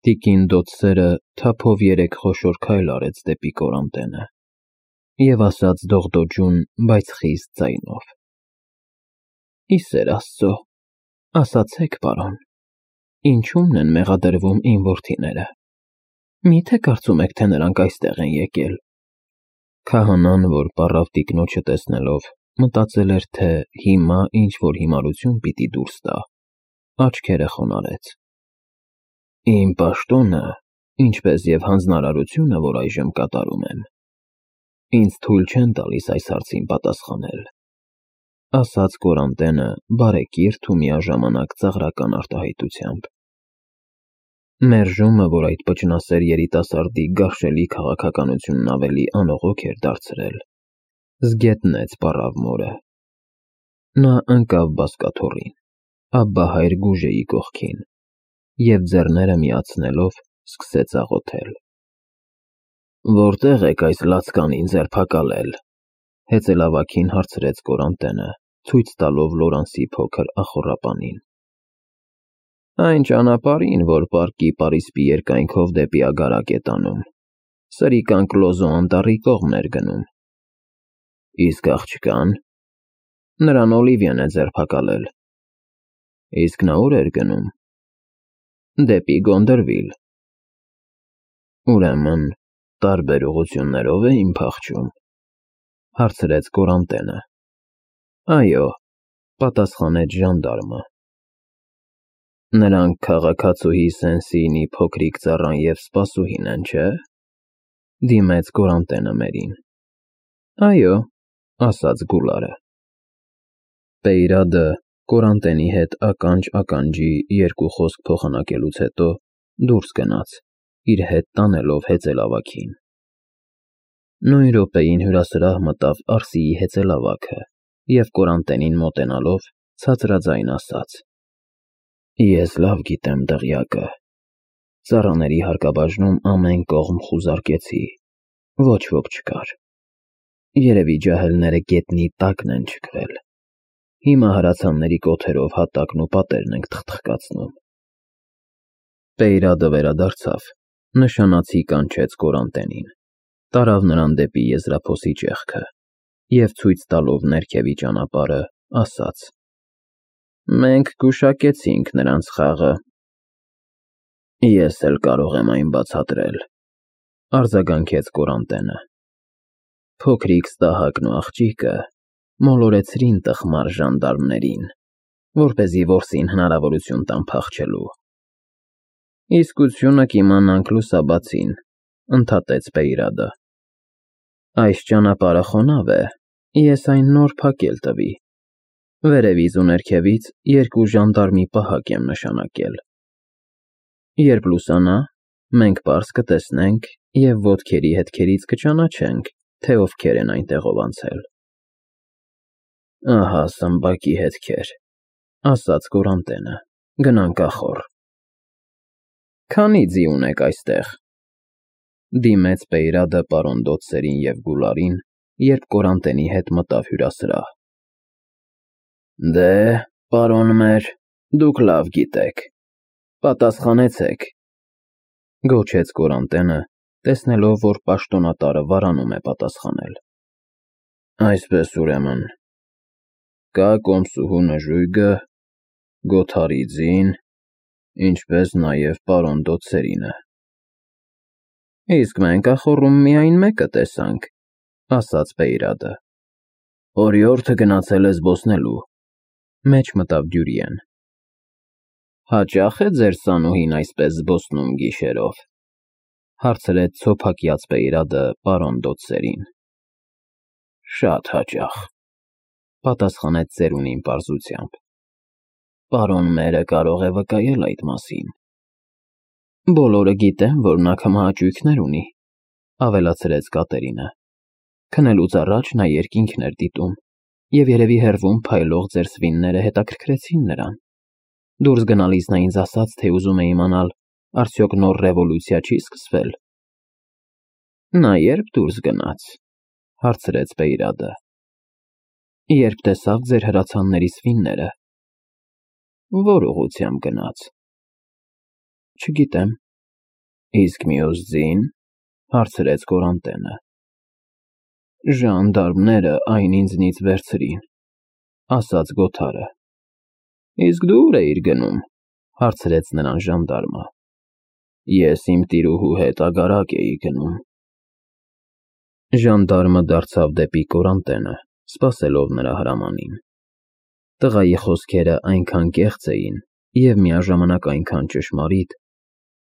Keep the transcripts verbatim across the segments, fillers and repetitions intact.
Տիկին Դոթսերը թափով երեք խոշոր քայլ արեց դեպի կորանտենը և ասաց դողդոջուն, բայց խիստ ձայնով. «Ի սեր Աստծո, ասացեք, պարոն, ինչո՞ւմն են մեղադրվում իմ որդիները, մի՞թե կարծում եք, թե նրանք այստեղ են եկել»։ Քահանան, որ պառավ տիկնոջը տեսնելով, մտածել էր, թե հիմա ինչ-որ հիմարություն պիտի դուրս տա, աչքերը խոնարհեց. «Իմ պաշտոնը, ինչպես և հանձնարարությունը, որ այժմ կատարում եմ, ինձ թույլ չեն տալիս այս հարցին պատասխանել», ասաց կորանտենը բարեկիրթ ու միաժամանակ ծաղրական արտահայտությամբ։ Մերժումը, որ այդ պճնասեր երիտասարդի գարշելի քաղաքականությունն ավելի անողոք էր դարձրել, զգետնեց պառավ մորը։ Նա ընկավ բազկաթոռին, Աբբա հայր Գուժեի կողքին և ձեռները միացնելով սկսեց աղոթել։ «Որտե՞ղ եք այս լացկանին ձերբակալել», հեծելավագին հարցրեց կորանտենը, ցույց տալով Լորանսի փոքր ախոռապանին։ «Այն ճանապարհին, որ պարկի պարիսպի երկայնքով դեպի Ագարակ է տանում, Սրիկան Կլոզո անտառի կողմն էր գնում»։ «Իսկ աղջկան»։ «Նրան Օլիվիան է ձերբակալել»։ «Իսկ նա ուր էր գնում»։ «Դեպի Գոնդրվիլ»։ «Ուրեմն տարբեր ուղղություններով էին փախչում», հարցրեց կորանտենը։ «Այո», պատասխանեց ժանդարմը։ «Նրանք քաղաքացուհի Սենսիինի փոքրիկ ծառան և սպասուհին են, չէ՞, դիմեց կորանտենը մերին։ «Այո», ասաց Գուլարը։ Պեյրադը կորանտենի հետ ականջ-ականջի երկու խոսք փոխանակելուց հետո դուրս գնաց, իր հետ տանելով հեծելավագին։ Նույն րոպեին հյուրասրահ մտավ Արսիի հեծելավագը և կորանտենին մոտենալով ցածրաձայն ասաց. «Ես լավ գիտեմ դղյակը։ Ծառաների հարկաբաժնում ամեն կողմ խուզարկեցի, ոչ ոք չկար։ Երևի ջահելները գետնի տակն են չքվել։ Հիմա հրացանների կոթերով հատակն ու պատերն ենք թխթխկացնում»։ Պեյրադը վերադարձավ, նշանացի կանչեց կորանտենին, տարավ նրան դեպի եզրափոսի ճեղքը և ցույց տալով ներքևի ճանապարհը, ասաց. «Մենք գուշակեցինք նրանց խաղը»։ «Ես էլ կարող եմ այն բացատրել», արձագանքեց կորանտենը։ «Փոքրիկ Ստահակն ու աղջիկը մոլորեցրին տխմար ժանդարմներին, որպեսզի որսին հնարավորություն տան փախչելու»։ «Իսկությունը կիմանանք լուսաբացին», ընդհատեց Պեյրադը։ «Այս ճանապարհը խոնավ է, ես այն նոր փակել տվի։ Վերևից ու ներքևից երկու ժանդարմի պահակ եմ նշանակել։ Երբ լուսանա, մենք պարզ կտեսնենք և ոտքերի հետքերից կճանաչենք, թե ովքեր են այնտեղով անցել»։ «Ահա սմբակի հետքեր», ասաց կորանտենը, «գնանք ախոռ»։ «Քանի՞ ձի ունեք այստեղ», դիմեց Պեյրադը պարոն Դոթսերին և Գուլարին, երբ կորանտենի հետ մտավ հյուրասրահ։ «Դե, պարոններ, դուք լավ գիտեք, պատասխանեցեք», գոչեց կորանտենը, տեսնելով, որ պաշտոնատարը վարանում է պատասխանել։ «Այսպես ուրեմն, կա կոմսուհու նժույգը, Գոթարի ձին, ինչպես նաև պարոն Դոթսերինը»։ «Իսկ մենք ախոռում միայն մեկը տեսանք», ասաց Պեյրադը։ «Օրիորդը գնացել է զբոսնելու», մեջ մտավ Դյուրիեն։ «Հաճա՞խ է ձեր սանուհին այսպես զբոսնում գիշերով», հարցրեց ցոփակյաց Պեյրադը պարոն Դոթսերին։ «Շատ հաճախ», պատասխանեց ծերունին պարզությամբ։ «Պարոն մերը կարող է վկայել այդ մասին»։ «Բոլորը գիտեն, որ նա քմահաճույքներ ունի», ավելացրեց Կատերինը։ «Քնելուց առաջ նա երկինքն էր դիտում, և երևի հեռվում փայլող ձեր սվինները հետաքրքրեցին նրան։ Դուրս գնալիս նա ինձ ասաց, թե ուզում է իմանալ, արդյոք նոր ռևոլյուցիա չի սկսվել»։ «Նա ե՞րբ դուրս գնաց», հարցրեց Պեյրադը։ «Երբ տեսավ ձեր հրացանների սվինները»։ «Ո՞ր ուղղությամբ գնաց»։ «Չգիտեմ, Իսկ մյուս ձին, հարցրեց Կորանտենը։ Ժանդարմները այն ինձնից վերցրին, ասաց Գոթարը։ Իսկ դու ուր էիր գնում, հարցրեց նրան ժանդարմը։ Ես իմ տիրուհու հետ ագարակ էի գնում։ Ժանդարմը դարձավ դեպի Կորանտենը, սպասելով նրա հրամանին։ Տղայի խոսքերը այնքան կեղծ էին և միաժամանակ այնքան ճշմարիտ,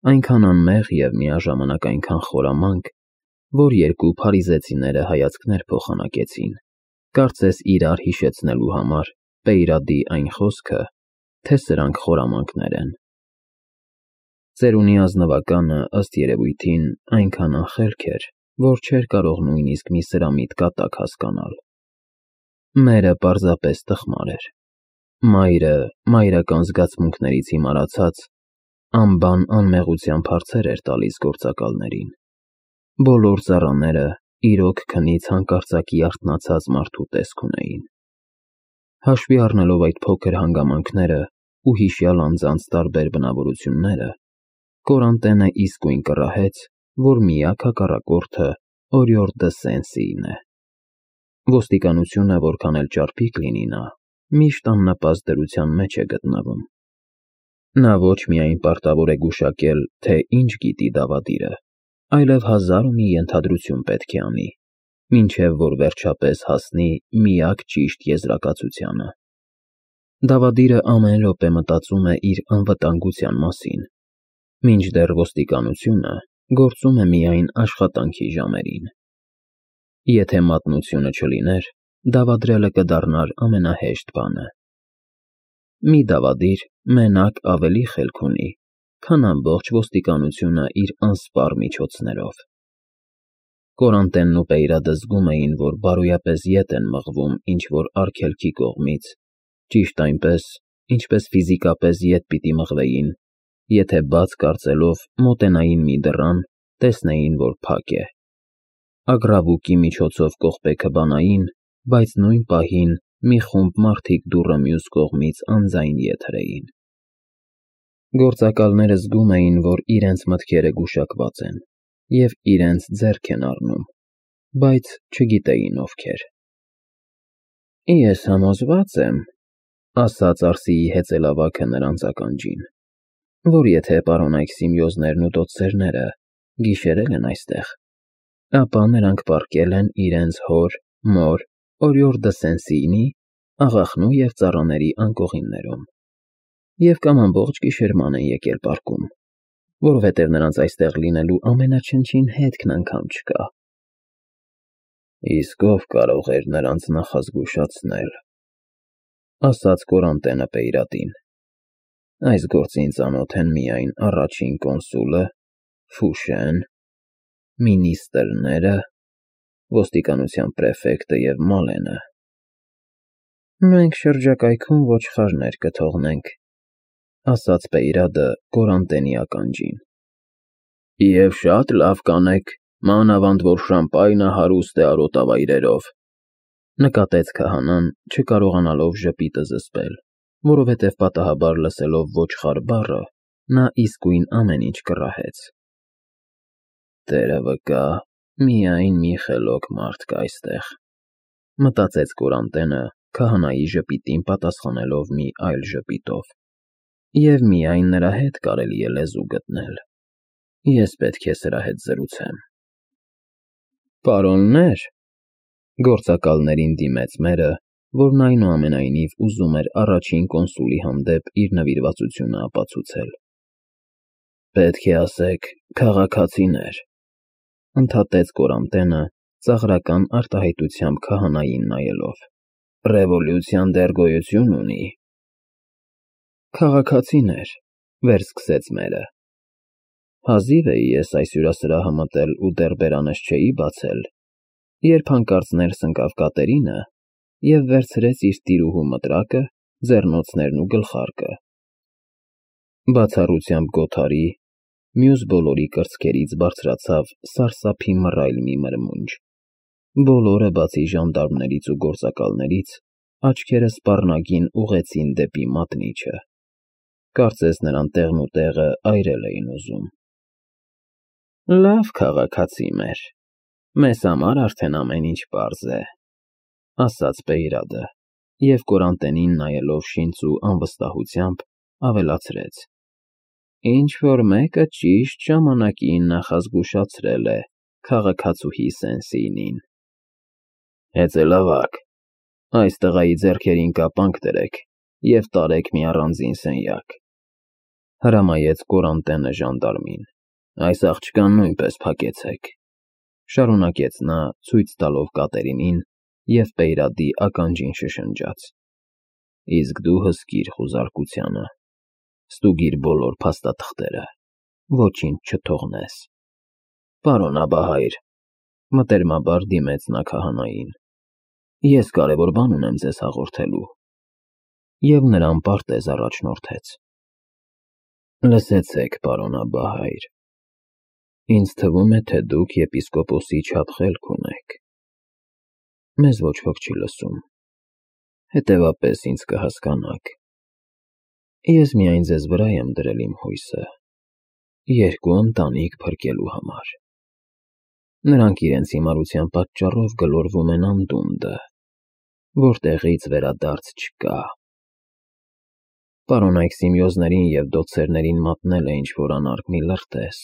այնքան անմեղ և միաժամանակ այնքան խորամանկ, որ երկու փարիզեցիները հայացքներ փոխանակեցին, կարծես իրար հիշեցնելու համար Պեյրադի այն խոսքը, թե սրանք խորամանկներ են։ Ծերունի ազնվականը, ըստ երևույթին, այնքան անխելք էր, որ չէր կարող նույնիսկ մի սրամիտ կատակ հասկանալ։ Մերը պարզապես տխմար էր։ Մայրը, մայրական զգացմունքներից հիմարացած, անբան անմեղությամբ հարցեր էր տալիս գործակալներին։ Բոլոր ծառաները իրոք քնից հանկարծակի արթնացած մարդու տեսք ունեին։ Հաշվի առնելով այդ փոքր հանգամանքները ու հիշյալ անձանց տարբեր բնավորությունները, Կորանտենը իսկույն կռահեց, որ միակ հակառակորդը Օրիորդ դը Սեն-Սիին է։ Ոստիկանությունը, որքան էլ ճարպիկ լինի նա, միշտ աննպաստ դրության մեջ է գտնվում։ Նա ոչ միայն պարտավոր է գուշակել, թե ինչ գիտի դավադիրը, այլև հազար ու մի ենթադրություն պետք է անի, մինչև որ վերջապես հասնի միակ ճիշտ եզրակացությանը։ Դավադիրը ամեն րոպե մտածում է իր անվտանգության մասին, մինչդեռ ոստիկանությունը գործում է միայն աշխատանքի ժամերին։ Եթե մատնությունը չլիներ, դավադրելը կդառնար ամենահեշտ բանը։ Մի դավադիր մենակ ավելի խելք ունի, քան ամբողջ ոստիկանությունը իր անսպառ միջոցներով։ Կորանտենն ու Պեյրադը զգում էին, որ բարոյապես ետ են մղվում ինչ-որ արգելքի կողմից, ճիշտ այնպես, ինչպես ֆիզիկապես ետ պիտի մղվեին, եթե բաց կարծելով մոտենային մի դռան, տեսնեին, որ փակ է։ Ագռավուկի միջոցով կողպեքը բանային, բայց նույն պահին մի խումբ մարդիկ դուռը մյուս կողմից անձայն ետ հրեին։ Գործակալները զգում էին, որ իրենց մտքերը գուշակված են և իրենց ձեռք են առնում, բայց չգիտեին ովքեր։ Ես համոզված եմ, ասաց Արսիի հեծելավագը նրանց ականջին, որ եթե պարոնայք Սիմեոզներն ու դոցերները գիշերել են այստեղ, ապա նրանք պառկել են իրենց հոր, մոր, Օրիորդ դը Սեն-Սիինի, աղախնու և ծառաների անկողիններում, և կամ ամբողջ գիշերման են եկել պառկում, որովհետև նրանց այստեղ լինելու ամենաչնչին հետքն անգամ չկա։ Իսկ ով կարող էր նրանց նախազգուշացնել, ասաց Կորանտենը Պեյրադին։ Այս գործին ծանոթ են միայն առաջին կոնսուլը, Ֆուշեն, մինիստրները, ոստիկանության պրեֆեկտը և Մալենը։ Մենք շրջակայքում ոչխարներ կթողնենք, ասաց Պեյրադը Կորանտենի ականջին։ Եվ շատ լավ կանեք, մանավանդ որ Շամպայնը հարուստ է արոտավայրերով, նկատեց քահանան, չկարողանալով ժպիտը զսպել, որովհետև պատահաբար լսելով ոչխար բառը, նա իսկույն ամեն ինչ կռահեց։ Տերը վկա, միայն մի խելոք մարդ կա այստեղ, մտածեց Կորանտենը, քահանայի ժպիտին պատասխանելով մի այլ ժպիտով, և միայն նրա հետ կարելի է լեզու գտնել։ Ես պետք է սրա հետ զրուցեմ։ Պարոննե՛ր, գործակալներին դիմեց մերը, որն այնուամենայնիվ ուզում էր առաջին կոնսուլի հանդեպ իր նվիրվածությունը ապացուցել։ Պետք է ասեք քաղաքացիներ, ընդհատեց Կորանտենը, ծաղրական արտահայտությամբ քահանային նայելով։ Ռևոլյուցիան դեռ գոյություն ունի։ Քաղաքացիներ, վերսկսեց մերը։ Հազիվ էի ես այս հյուրասրահը մտել ու դեռ բերանս չէի բացել, երբ հանկարծ ներս ընկավ Կատերինը և վերցրեց իր տիրուհու մտրակը, ձեռնոցներն ու գլխարկը։ Բացառությամբ Գոթարի, մյուս բոլորի կրծքերից բարձրացավ սարսափի մռայլ մի մրմունջ։ Բոլորը, բացի ժանդարմներից ու գործակալներից, աչքերը սպառնագին ուղղեցին դեպի մատնիչը։ Կարծես նրան տեղնուտեղը այրել էին ուզում։ Լավ քաղաքացի մեր, մեզ համար արդեն ամեն ինչ պարզ է, ասաց Բեյրադը և Կորանտենին նայելով շինծ ու անվստահությամբ ավելացրեց. Ինչ-որ մեկը ճիշտ ժամանակին նախազգուշացրել է քաղաքացուհի Սենսինին։ Հեծելավա՛կ, այս տղայի ձեռքերին կապանք դրեք և տարեք մի առանձին սենյակ, հրամայեց Կորանտենը ժանդարմին, այս աղջկան նույնպես փակեցեք, շարունակեց նա ցույց տալով Կատերինին և Բեյրադի ականջին շշնջաց, իսկ դու հսկիր խուզարկությանը, ստուգիր բոլոր փաստաթղթերը, ոչինչ չթողնես։ Պարոնաբահայր, մտերմաբար դիմեց նա քահանային, ես կարևոր բան ունեմ ձեզ հաղորդելու, և նրան պարտեզ առաջնորդեց. Լսեցեք, պարոնաբահայր, ինձ թվում է, թե դուք եպիսկոպոսի չափ խելք ունեք, մեզ ոչ ոք չի լսում, հետևապես ինձ կհասկանաք, ես միայն ձեզ վրա եմ դրել իմ հույսը, երկու ընտանիք փրկելու համար, նրանք իրենց հիմարության պատճառով գլորվում են անդունդը, որտեղից վերադարձ չկա։ Պարոնայք Սիմեոզներին և դոցերներին մատնել է ինչ-որ անարգ մի լրտես,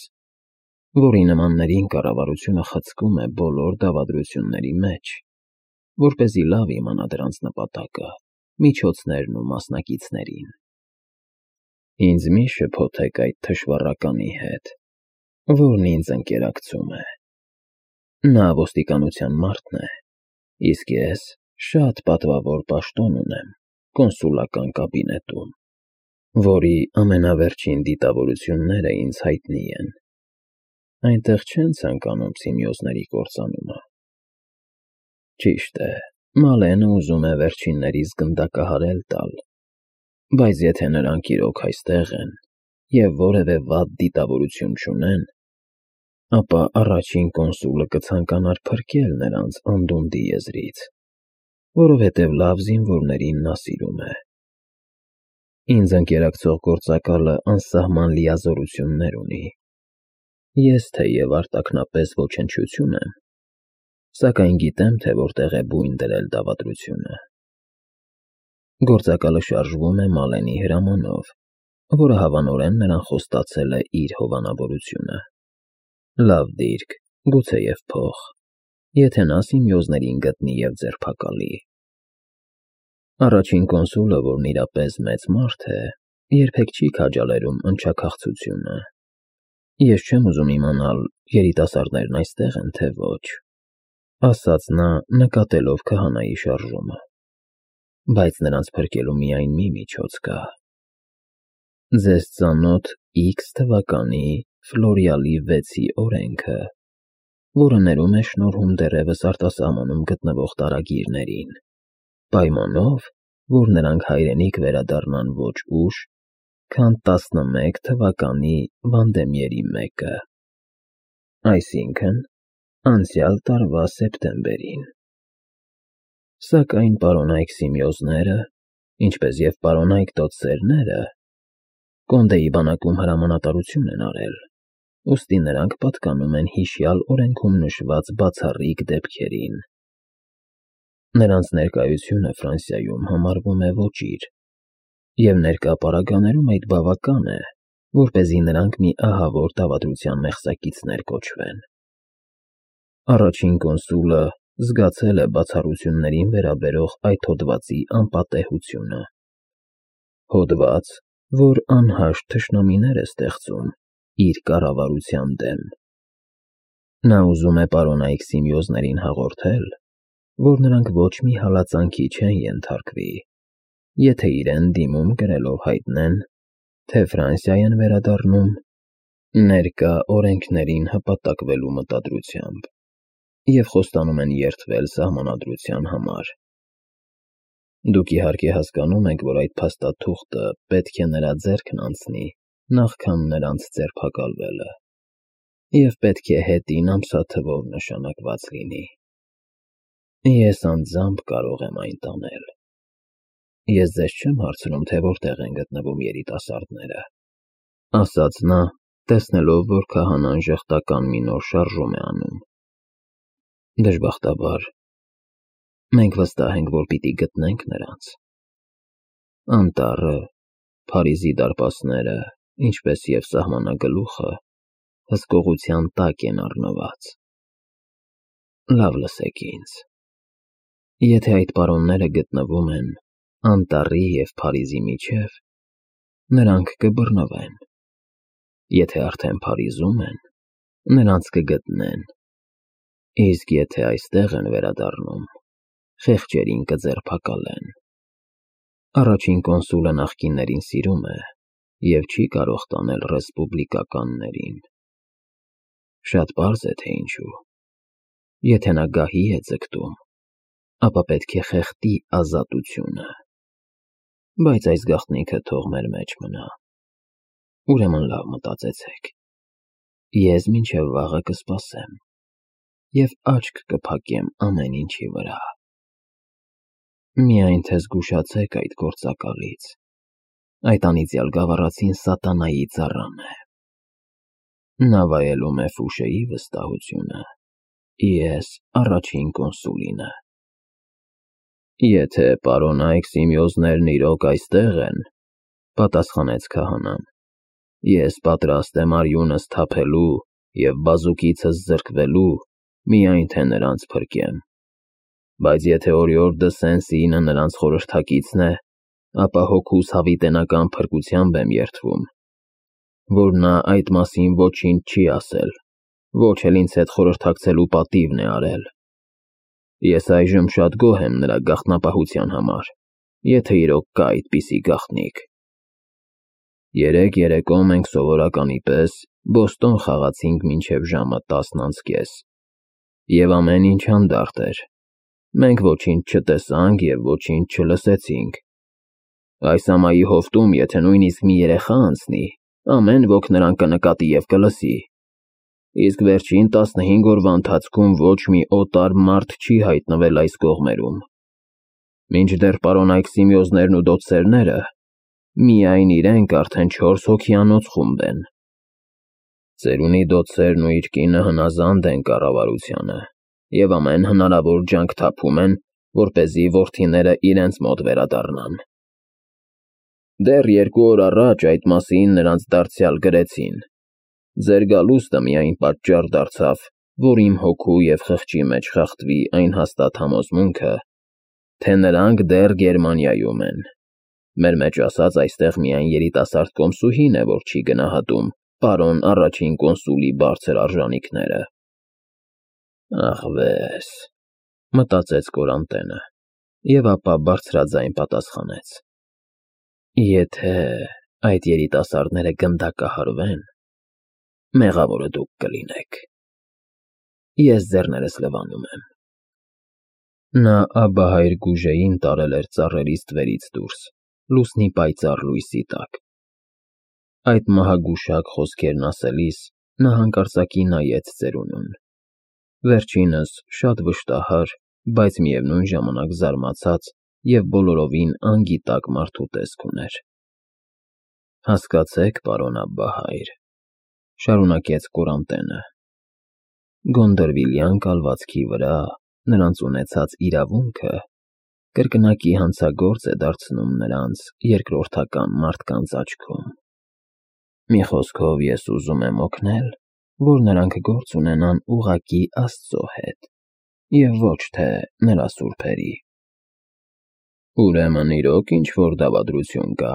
որի նմաններին կառավարությունը խցկում է բոլոր դավադրությունների մեջ, որպեսզի լավ իմանա դրանց նպատակը, միջոցներն ու մասնակիցներին։ Ինձ մի շփոթեք այդ թշվառականի հետ, որն ինձ ընկերակցում է։ Նա ոստիկանության մարդն է, իսկ ես շատ պատվավոր պաշտոն ունեմ կոնսուլական կաբինետում, որի ամենավերջին դիտավորությունները ինձ հայտնի են։ Այնտեղ չեն ցանկանում Սիմեոզների կործանումը։ Ճիշտ է, Մալենը ուզում է վերջիններիս գնդակահարել տալ, բայց եթե նրանք իրոք այստեղ են և որևէ վատ դիտավորություն չունեն, ապա առաջին կոնսուլը կցանկանար փրկել նրանց անդունդի եզրից, որովհետև լավ զինվորներին նա սիրում է։ Ինձ ընկերակցող գործակալը անսահման լիազորություններ ունի։ Ես թեև արտաքնապես ոչնչություն եմ, սակայն գիտեմ, թե որտեղ է բույն դրել դավադրությունը։ Գործակալը շարժվում է Մալենի հրամանով, որը հավանորեն նրան խոստացել է իր հովանավորությունը։ Լավ դիրք, գուցեև փող, եթե նա Սիմեոզներին գտնի և ձերբակալի։ Առաջին կոնսուլը, որն իրապես մեծ մարդ է, երբեք չի քաջալերում ընչաքաղցությունը։ Ես չեմ ուզում իմանալ, երիտասարդներն այստեղ են, թե ոչ, ասաց նա, նկատելով քահանայի շարժումը, բայց նրանց փրկելու միայն մի միջոց կա։ Ձեզ ծանոթ X թվականի Ֆլորիալի վեցի օրենքը, որը ներում է շնորհում դեռևս արտասահմանում գտնվող տարագիրներին, պայմանով, որ նրանք հայրենիք վերադառնան ոչ ուշ, քան տասնմեկ թվականի Վանդեմյերի մեկը, այսինքն անցյալ տարվա սեպտեմբերին։ Սակայն պարոնայք Սիմեոզները, ինչպես և պարոնայք դոցերները, Կոնդեի բանակում հրամանատարություն են արել, ուստի նրանք պատկանում են հիշյալ օրենքում նշված բացառիկ դեպքերին։ Նրանց ներկայությունը Ֆրանսիայում համարվում է ոճիր, և ներկա պարագաներում այդ բավական է, որպեսզի նրանք մի ահավոր դավադրության մեղսակիցներ կոչվեն։ Առաջին կոնսուլը զգացել է բացառություններին վերաբերող այդ հոդվածի անպատեհությունը։ Հոդված, որ անհաշտ թշնամիներ է ստեղծում իր կառավարության դեմ։ Նա ուզում է պարոնայք Սիմեոզներին հաղորդել, որ նրանք ոչ մի հալածանքի չեն ենթարկվի, եթե իրեն դիմում կրելով հայտնեն, թե Ֆրանսիա են վերադառնում ներկա օրենքներին հպատակվելու մտադրությամբ և խոստանում են երդվել Սահմանադրության համար։ Դուք իհարկե հասկանում եք, որ այդ փաստաթուղթը պետք է նրա ձեռքն անցնի նախքան նրանց ձերբակալվելը, և պետք է հետին ամսաթվով նշանակված լինի։ Ես անձամբ կարող եմ այն տանել։ Ես ձեզ չեմ հարցնում, թե որտեղ են գտնվում երիտասարդները, ասաց նա, տեսնելով, որ քահանան ժխտական մի նոր շարժում է անում։ Դժբախտաբար, մենք վստահ ենք, որ պիտի գտնենք նրանց։ Անտառը, Փարիզի դարպասները, ինչպես և սահմանագլուխը, հսկողության տակ են առնված։ Լավ լսեք ինձ. եթե այդ պարոնները գտնվում են անտառի և Փարիզի միջև, նրանք կբռնվեն, եթե արդեն Փարիզում են, նրանց կգտնեն, իսկ եթե այստեղ են վերադառնում, խեղճերին կձերբակալեն։ Առաջին կոնսուլը նախկիններին սիրում է և չի կարող տանել ռեսպուբլիկականներին։ Շատ պարզ է, թե ինչու։ Եթե նա գահի է ձգտում, ապա պետք է խեղդի ազատությունը։ Բայց այս գաղտնիքը թող մեր մեջ մնա։ Ուրեմն լավ մտածեցեք։ Ես մինչև վաղը կսպասեմ և աչք կփակեմ ամեն ինչի վրա։ Միայն թե զգուշացեք այդ գործակալից։ Այդ անիծյալ գավառացին սատանայի ծառան է։ Նա վայելում է Ֆուշեի վստահությունը, ես առաջին կոնսուլինը։ Եթե պարոն Այքսիմիոզներն իրոք այստեղ են, պատասխանեց քահանան, ես պատրաստ եմ արյունս թափելու և բազուկիցս զրկվելու, միայն թե նրանց փրկեմ։ Բայց եթե Օրիորդ դը Սեն-Սիինը նրանց խորհրդակիցն է, ապա հոգուս հավիտենական փրկությամբ եմ երդվում, որ նա այդ մասին ոչինչ չի ասել, ոչ էլ ինձ հետ խորհրդակցելու պատիվն է արել։ Ես այժմ շատ գոհ եմ նրա գաղտնապահության համար, եթե իրոք կա այդպիսի գաղտնիք։ Երեկ երեկո մենք սովորականի պես Բոստոն խաղացինք մինչև ժամը տասն անց կես, և ամեն ինչ հանդարտ էր։ Մենք ոչինչ չտեսանք և ոչինչ չլսեցինք։ Այս ամայի հովտում, եթե նույնիսկ մի երեխա անցնի, ամեն ոք նրան կնկատի և կլսի։ Իսկ վերջին տասնհինգ օրվա ընթացքում ոչ մի օտար մարդ չի հայտնվել այս կողմերում։ Մինչդեռ պարոն Այքսիմիոզներն ու դոցերները, միայն իրենք արդեն չորս հոգիանոց խումբ են։ Ծերունի դոցերն ու իր կինը հնազանդ են կառավարությանը և ամեն հնարավոր ջանք թափում են, որպեսզի որդիները իրենց մոտ վերադառնան։ Դեռ երկու օր առաջ այդ մասին նրանց դարձյալ գրեցին։ Ձեր գալուստը միայն պատճառ դարձավ, որ իմ հոգու և խղճի մեջ խախտվի այն հաստատ համոզմունքը, թե նրանք դեռ Գերմանիայում են։ Մեր մեջ ասած այստեղ միայն երիտասարդ կոմսուհին է, որ չի գնահատում պարոն առաջին կոնսուլի բարձր արժանիքները։ Ախվես, մտածեց Կորանտենը, և ապա բարձրաձայն պատասխանեց. Եթե այդ երիտասարդները գնդակահարվեն, մեղավորը դուք կլինեք։ Ես ձեռներս լվանում եմ։ Նա Աբահայր Գուժեին տարել էր ծառերի ստվերից դուրս, լուսնի պայծառ լույսի տակ։ Այդ մահագուշակ խոսքերն ասելիս նա հանկարծակի նայեց ծերունուն։ Վերջինս շատ վշտահար, բայց միևնույն ժամանակ զարմացած և բոլորովին անգիտակ մարդու տեսք ուներ։ Հասկացեք, պարոն Աբբահայր, շարունակեց Կորանտենը, Գոնդերվիլյան կալվածքի վրա նրանց ունեցած իրավունքը կրկնակի հանցագործ է դարձնում նրանց երկրորդական մարդկանց աչքում։ Մի խոսքով ես ուզում եմ օգնել, որ նրանք գործ ունենան ուղղակի Աստծո հետ և ոչ թե նրա սուրբերի։ Ուրեմն իրոք ինչ-որ դավադրություն կա,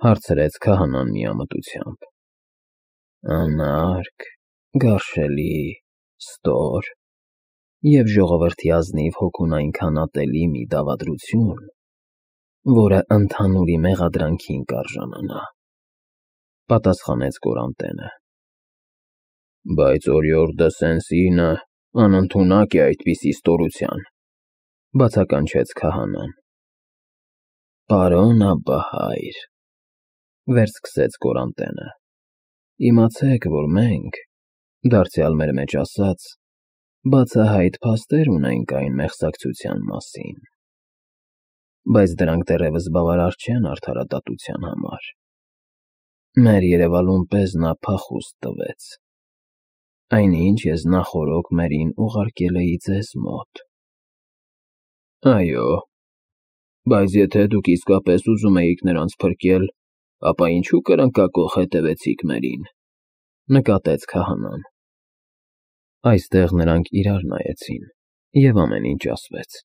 հարցրեց քահանան միամտությամբ։ Անարգ, գարշելի, ստոր և ժողովրդի ազնիվ հոգուն այնքան ատելի մի դավադրություն, որը ընդհանուրի մեղադրանքին կարժանանա, պատասխանեց Կորանտենը։ Բայց Օրիորդ դը Սեն-Սիինը անընդունակ է այդպիսի ստորության, բացականչեց քահանան։ Պարոն Աբբահայր, վերսկսեց Կորանտենը, իմացեք, որ մենք, դարձյալ մեր մեջ ասած, բացահայտ փաստեր ունենք այն մեղսակցության մասին, բայց դրանք դեռևս բավարար չեն արդարադատության համար։ Մեր երևալուն պես նա փախուստ տվեց, այնինչ ես նախօրոք Մերին ուղարկել էի ձեզ մոտ։ ֊ Այո, բայց եթե դուք իսկապես ուզում էիք նրանց փրկել, ապա ինչու կրնկակոխ հետևեցիք Մերին,֊ նկատեց քահանան։ Այստեղ նրանք իրար նայեցին, և ամեն ինչ ասվեց։